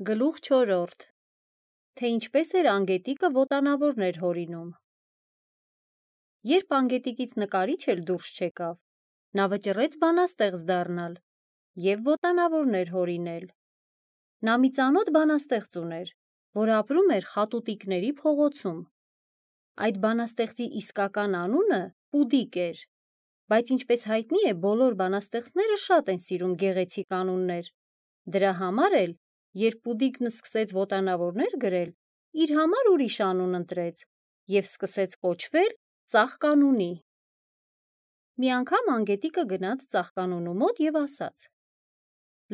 Գլուխ 4. Թե ինչպես էր անգետիկը ոտանավորներ հորինում։ Երբ անգետիկից նկարիչ էլ դուրս չեկավ, նա վճռեց բանաստեղծ դառնալ և ոտանավորներ հորինել։ Նա մի ծանոթ բանաստեղծ ուներ, որ ապրում էր Խատուտիկների փողոցում։ Այդ բանաստեղծի իսկական անունը Պուդիկ էր, բայց ինչպես հայտնի է, բոլոր բանաստեղծները շատ են սիրում գեղեցիկ անուններ։ Դրա համար էլ, երբ Պուդիկն սկսեց ոտանավորներ գրել, իր համար ուրիշ անուն ընտրեց և սկսեց կոչվել Ծաղկանունի։ Մի անգամ անգետիկը գնաց Ծաղկանունու մոտ և ասաց.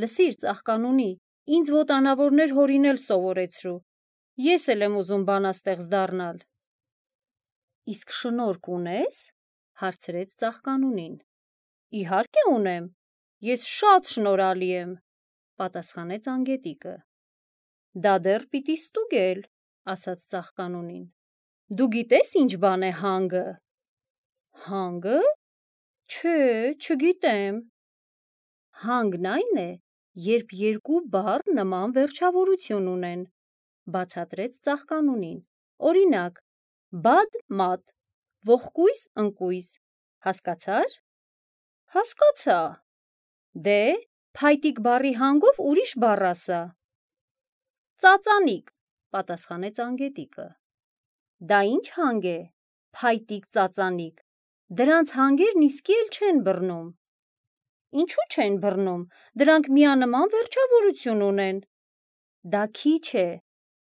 «Լսիր, Ծաղկանունի, ինձ ոտանավորներ հորինել սովորեցրու, ես էլ եմ ուզում բանաստեղծ դառնալ»։ «Իսկ շնորհք ունե՞ս»։ հարցրեց Ծաղկանունին։ «Իհարկե ունեմ, ես շատ շնորհալի եմ», պատասխանեց անգետիկը։ «Դա դեռ պիտի ստուգել», ասաց Ծաղկանունին։ «Դու գիտես ինչ բան է հանգը»։ «Հանգը։ Չէ, չգիտեմ»։ «Հանգն այն է, երբ երկու բառ նման վերջավորություն ունեն», բացատրեց Ծաղկանունին։ «Օրինակ, բադ-մադ, ողկույզ-ընկույզ, հասկացա՞ր»։ «Հասկացա»։ «Դե, փայտիկ բառի հանգով ուրիշ բառ ասա»։ «Ծածանիկ», պատասխանեց անգետիկը։ «Դա ինչ հանգ է, փայտիկ ծածանիկ, դրանց հանգերն իսկի էլ չեն բռնում»։ «Ինչու չեն բռնում, դրանք միանման վերջավորություն ունեն»։ «Դա քիչ է»,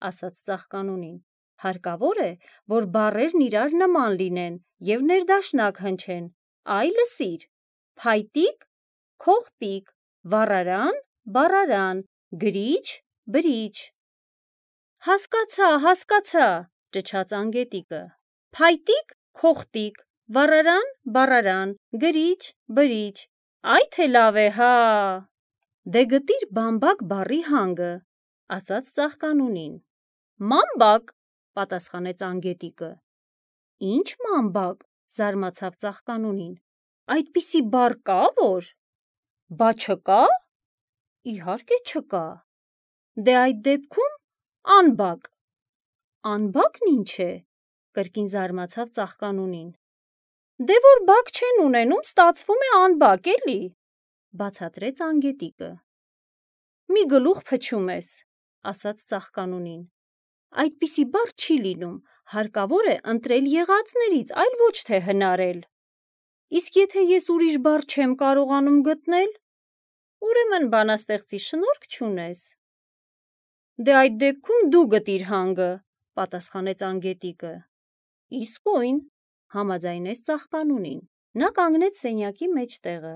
ասաց Ծաղկանունին, «հարկավոր է, որ բառերն իրար նման լինեն և ներդաշնակ հնչեն։ Այ լսիր. փայտիկ, քողտիկ, վառարան, բառարան, գրիչ, բրիչ»։ «Հասկացա», ճչաց անգետիկը։ «Փայտիկ, քողտիկ, վառարան, բառարան, գրիչ, բրիչ, այ թե լավ է, հա»։ «Դե գտիր բամբակ բառի հանգը», ասաց Ծաղկանունին։ «Մամբակ», պատասխանեց անգետիկը։ «Ինչ մամբակ», զարմացավ Ծաղկանունին։ «Այդպիսի բառ կա՞ որ»։ «Բա չկա»։ «Իհարկե չկա»։ «Դե այդ դեպքում անբակ»։ «Անբակն ինչ է», կրկին զարմացավ Ծաղկանունին։ «Դե որ բակ չեն ունենում, ստացվում է անբակ, էլի», բացատրեց անգետիկը։ «Մի գլուխ փչում ես», ասաց Ծաղկանունին։ «Այդպիսի բառ չի լինում, հարկավոր է ընտրել եղածներից, այլ ոչ թե հնարել»։ «Իսկ եթե ես ուրիշ բառ չեմ կարողանում գտնել»։ «Ուրեմն բանաստեղծի շնորհք չունես»։ «Դե այդ դեպքում դու գտիր հանգը», պատասխանեց անգետիկը։ «Իսկույն», համաձայնեց Ծաղկանունին։ Նա կանգնեց սենյակի մեջտեղը,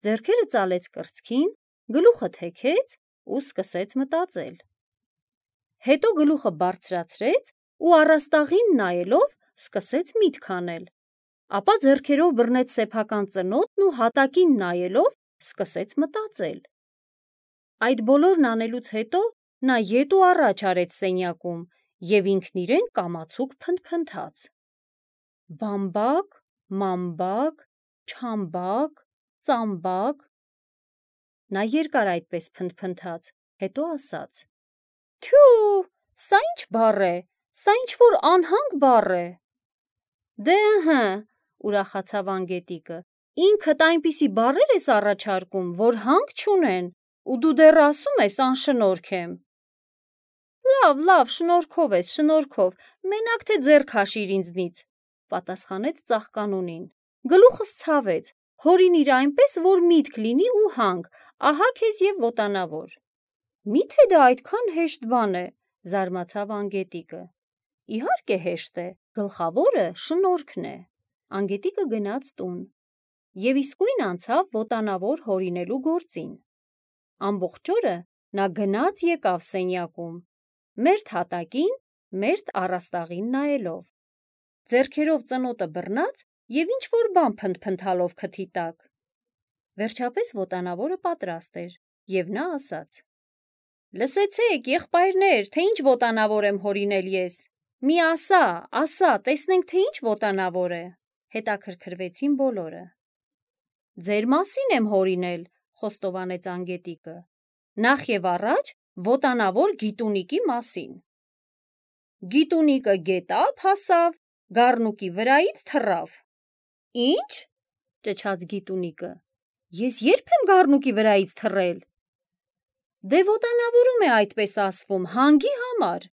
ձեռքերը ծալեց կրծքին, գլուխը թեքեց ու սկսեց մտածել։ Հետո գլուխը բարձրացրեց ու առաստաղին նայելով սկսեց միտք անել։ Ապա ձեռքերով բռնեց սեփական ծնոտն ու հատակին նայելով սկսեց մտածել։ Այդ բոլորն անելուց հետո նա ետ ու առաջ արեց սենյակում և ինքն իրեն կամացուկ փնթփնթաց. բամբակ, մամբակ, չամբակ, ծամբակ։ Նա երկար այդպես փնթփնթաց, հետո ասաց. «Թյու, սա ինչ բառ է, սա ինչ-որ անհանգ բառ է»։ «Դե ըհը», ուրախացավ անգետիկը, «ինքդ այնպիսի բառեր ես առաջարկում, որ հանք չունեն, ու դու դեռ ասում ես անշնորհք եմ»։ Լավ, շնորհքով ես, շնորհքով, մենակ թե ձեռք հաշիր ինձնից», պատասխանեց Ծաղկանունին։ «Գլուխս ցավեց, հորինիր այնպես, որ միտք լինի ու հանք, ահա քեզ և ոտանավոր»։ «Մի՞թե դա այդքան հեշտ բան է», զարմացավ անգետիկը։ «Իհարկե հեշտ է, գլխավորը շնորհքն է»։ Անգետիկը գնաց տուն և իսկույն անցավ ոտանավոր հորինելու գործին։ Ամբողջ օրը նա գնաց եկավ սենյակում, մերթ հատակին, մերթ առաստաղին նայելով։ Ձեռքերով ծնոտը բռնած և ինչ-որ բան փնթփնթալով քթի տակ։ Վերջապես ոտանավորը պատրաստ էր, և նա ասաց. «Լսեցեք, եղբայրներ, թե ինչ ոտանավոր եմ հորինել ես։ Մի ասա, տեսնենք, թե ինչ ոտանավոր է»։ Հետաքրքրվեցին բոլորը։ «Ձեր մասին եմ հորինել», խոստովանեց անգետիկը։ «Նախ և առաջ Ոտանավոր գիտունիկի մասին։ Գիտունիկը գետափ հասավ, գառնուկի վրայից թռավ։ Ինչ? Ճչաց գիտունիկը։ Ես երբ եմ գառնուկի վրայից թռել։ Դե ոտանավորում է այդպես ասվում, հանգի համար,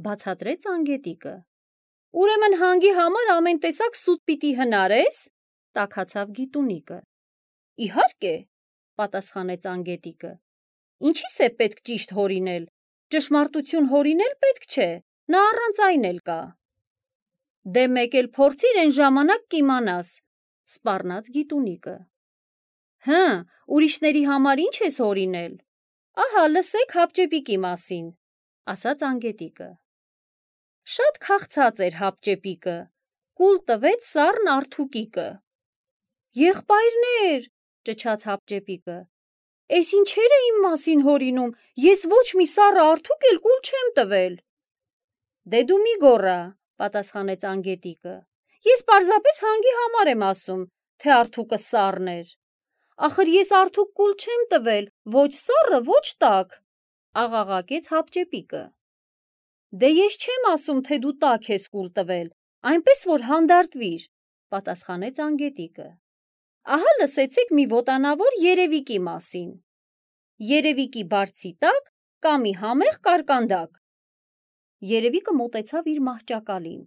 բացատրեց անգետիկը։ Ուրեմն հանգի համար ամեն տեսակ սուտ պիտի հնարես, տաքացավ գիտունիկը։ Իհարկե, պատասխանեց անգետիկը։ Ինչի՞ս է պետք ճիշտ հորինել։ Ճշմարտություն հորինել պետք չէ, նա առանց այն էլ կա։ Դե մեկ էլ փորձիր այն ժամանակ կիմանաս, սպառնաց գիտունիկը։ Հը, ուրիշների համար ինչ ես հորինել։ Ահա լսեք հապճեպիկի մասին, ասաց անգետիկը։ Շատ քաղցած էր հապճեպիկը, կուլ տվեց սառն արթուկիկը։ Եղբայրներ, ճչաց հապճեպիկը, էս ինչեր է իմ մասին հորինում, ես ոչ մի սառը արթուկ էլ կուլ չեմ տվել։ Դե դու մի գոռա, պատասխանեց անգետիկը, ես պարզապես հանգի համար եմ ասում, թե արթուկը սառն էր։ Ախր ես արթուկ կուլ չեմ տվել, ոչ սառը, ոչ տաք, աղաղակեց հապճեպիկը։ Դե ես չեմ ասում, թե դու տաք ես կուլ տվել, այնպես որ հանդարտվիր, պատասխանեց անգետիկը։ Ահա լսեցեք մի ոտանավոր երևիկի մասին։ Երևիկի բարձի տակ կա մի համեղ կարկանդակ։ Երևիկը մոտեցավ իր մահճակալին,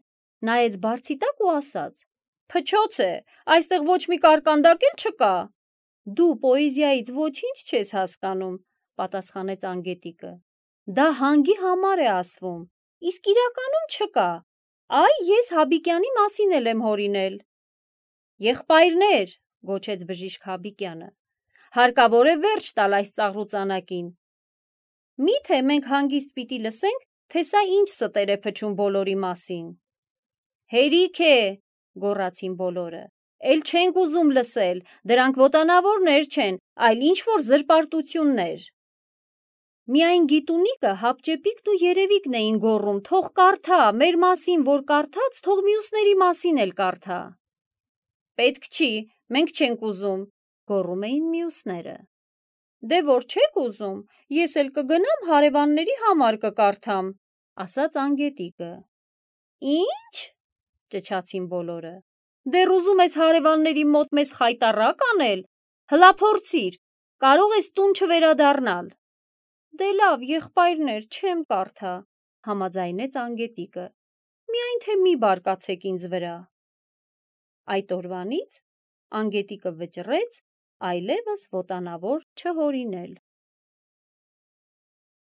նայեց բարձի տակ ու ասաց. Փչոց է, այստեղ ոչ մի կարկանդակ էլ չկա։ Դու պոեզիայից ոչինչ չես հասկանում, պատասխանեց անգետիկը։ Դա հանգի համար է ասվում, իսկ իրականում չկա։ Այ ես Հաբիկյանի մասին էլ եմ հորինել։ Եղբայրներ, գոչեց բժիշկ Հաբիկյանը, հարկավոր է վերջ տալ այս ծաղրուծանակին։ Միթե մենք հանգիստ պիտի լսենք, թե սա ինչ ստեր է փչում բոլորի մասին։ Հերիք է, գոռացին բոլորը, էլ չենք ուզում լսել, դրանք ոտանավորներ չեն, այլ ինչ-որ զրպարտություններ։ Միայն գիտունիկը, հապճեպիկն ու երևիկն էին գոռում, թող կարդա, մեր մասին, որ կարդաց, թող մյուսների մասին էլ կարդա։ Պետք չի, մենք չենք ուզում, գոռում էին մյուսները։ Դե որ չեք ուզում, ես էլ կգնամ հարևանների համար կկարդամ, ասաց անգետիկը։ Ինչ? Ճչացին բոլորը։ Դեռ ուզում ես հարևանների մոտ մեզ խայտառակ անել, հլա փորձիր, կարող ես տուն չվերադառնալ։ Դե լավ, եղբայրներ, չեմ կարդա, համաձայնեց անգետիկը, միայն թե մի բարկացեք ինձ վրա։ Այդ օրվանից անգետիկը վճռեց այլևս ոտանավոր չհորինել։